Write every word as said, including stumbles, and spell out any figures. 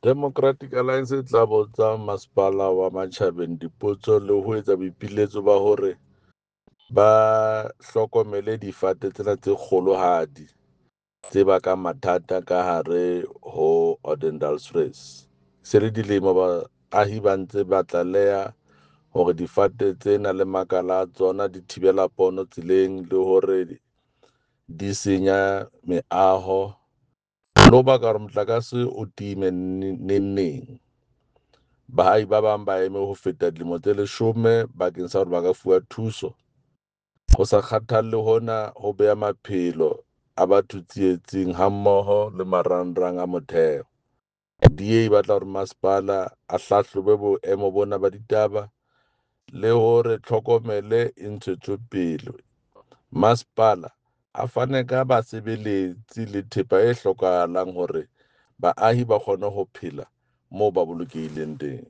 Democratic Alliance e tla botsa Masepala wa Matjhabeng dipotso le ho etsa boipiletso ba hore ba hlokomele difate tsena tse kgolohadi tse bakang mathata ka hare ho Odendaalsrus. Se le dilemo baahi ba ntse ba tlaleha hore difate tsena le makala a tsona di thibela pono tseleng le hore di senya meaho le ho baka hore motlakase o time neng neng. Baahi ba bang ba eme ho feta dilemo tse leshome bakeng sa hore ba ka fuwa thuso. Ho sa kgathalle hona ho beha maphelo a batho tsietsing hammoho le marangrang a motheo. D A e batla hore masepala a hlahlobe boemo bona ba ditaba le hore tlhokomele e ntshetswe pele. Masepala a fane ka basebeletsi le thepa e hlokahalang hore baahi ba kgone ho phela moo ba bolokehileng teng.